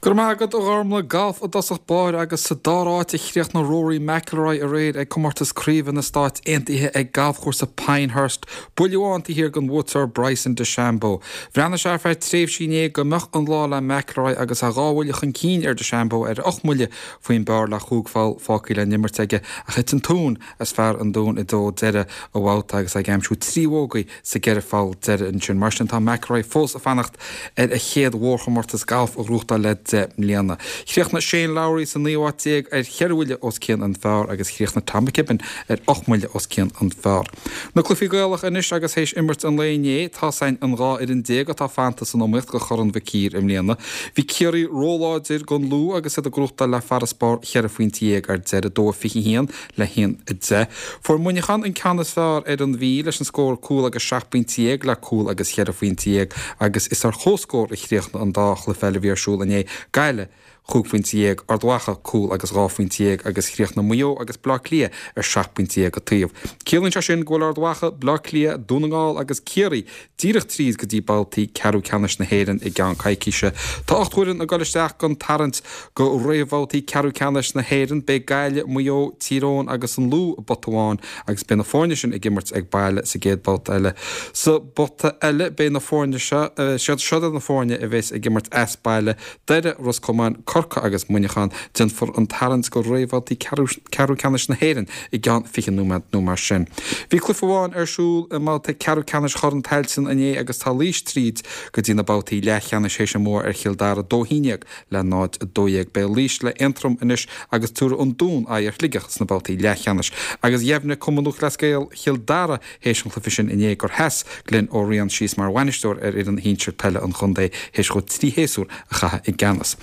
Go raibh maith agat, a Ghormlaith. Galf i dtosach báire agus sa dara háit a chríochnaigh Rory McIlroy aréir ag comórtas craoibhe na Stáit Aontaithe ag galfchúrsa Pinehurst. Buille amháin taobh thiar den bhuaiteoir Bryson DeChambeau. Bhreathnaigh sé ar feadh tréimhsí inné go mbeadh an lá le McIlroy agus é dhá bhuille chun cinn ar DeChambeau ar ocht mbuille faoin bpar le chúig pholl fágtha le n-imirt aige ach thit an tóin as fear an Dúin i dtreo deireadh an bhabhta agus é ag aimsiú trí bhógaí sa gceithre pholl deiridh ansin. Mar sin, tá McIlroy fós ag fanacht ar a chéad mhórchomórtas gailf a ghnóthachtáil le 10 mbliana. Chríochnaigh Shane Lowry sa naoú háit déag ar cheithre bhuille os cionn an phar agus chríochnaigh Tom McKibbin ar ocht mbuille os cionn an phar. Na cluichí Gaelacha anois agus théis imirt an lae inné, tá's againn an 12 fhoireann atá fanta san iomaíocht do Chorn Mhic Uidhir i mbliana. Bhí Ciarraí róláidir don Lú agus iad ag gnóthachtáil le farasbarr cheithre phointe dhéag ar deireadh, 2-21 le 1-10. Fuair Muineachán an ceann is fearr ar an Mhí leis an scór cúl agus 17 bpointe le cúl agus cheithre phointe dhéag agus is ar comhscór a chríochnaigh an dá chluiche eile a bhí ar siúl inné, Gaillimh, 15 phointe, Ard Mhacha, cúl agus 12 phointe agus chríochnaigh Maigh Eo agus Baile Átha Cliath ar 17 bpointe an taobh. Ciallaíonn sé sin go bhfuil Ard Mhacha, Baile Átha Cliath, Dún na nGall agus Ciarraí díreach tríd go dtí babhtaí ceathrú ceannais na hÉireann i gceann coicíse. Tá 8 bhfoireann ag dul isteach don tarraingt go réamhbhabhtaí ceathrú ceannais na hÉireann. Beidh Gaillimh, Maigh Eo, Tír Eoghain agus an Lú i bpota amháin agus beidh na foirne sin ag imirt ag baile sa gcéad bhabhta eile. Sa bpota eile beidh na foirne seo, siad seo na foirne a bheas ag imirt as baile, Doire, Ros Comáin, Corcaigh agus Muineachán. Déanfar an tarraingt go réamhbhabhtaí ceathrú ceannais na hÉireann i gceann 20 nóiméad nó mar sin. Bhí cluiche amháin ar siúl i mbabhta ceathrú ceannais Chorn Tailteann inné agus tá Laois tríd go dtí na babhtaí leathcheannais théis a mbua ar Chill Dara 2-11 le 0-12. Beidh Laois le Aontroim anois agus tabharfaidh an Dún aghaidh ar Shligeach sna babhtaí leathcheannais. Agus dheimhnigh Cumann Lúthchleas Gael Chill Dara Théis an chluiche sin inné gur sheas Glenn Ó Riain síos mar bhainisteoir ar fhoireann shinsir peile an chontae théis dhó 3 shéasúr a chaitheamh i gceannas.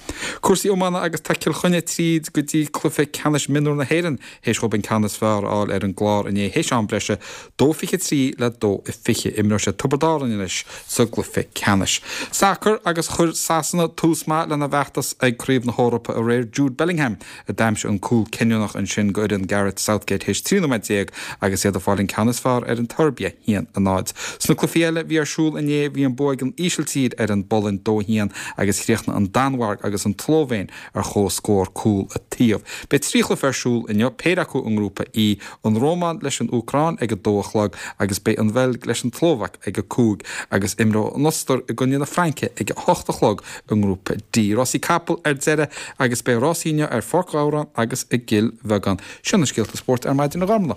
Cúrsaí iomána agus tá Cill Chainnigh tríd go dtí cluiche ceannais mionúr na hÉireann théis dhóibh an ceann is fearr a fháil ar an gClár inné théis am breise, 2-23 le 2-20. Imreoidh siad Tiobraid Árann anois sa gcluiche ceannais. Sacar agus chuir Sasana tús maith lena bhfeachtas ag Craobh na hEorpa aréir. Jude Bellingham a d'aimsigh an cúl cinniúnach ansin go fhoireann Gareth Southgate théis 13 nóiméad agus iad ag fáil an ceann is fearr ar an tSeirbia, 1-0. Sna cluichí eile a bhí ar siúl inné bhí an bua ag an Ísiltír ar an bPolainn, 2-1, agus chríochnaigh an Danmhairg agus an tSlóivéin ar chomhscór cúl an taobh. Beidh 3 chluiche ar siúl inniu, péire acu i nGrúpa E, an Rómáin leis an Úcráin ag 2 a chlog agus beidh an Bheilg leis an tSlóvaic ag 5 agus imreoidh an Ostair i gcoinne na Fraince ag 8 a chlog i nGrúpa D. Rásaí capall ar deireadh agus beidh rásaí inniu ar Pháirc Ghabhráin agus i gCill Bheagáin. Sin na scéalta spóirt ar maidin a Ghormlaith.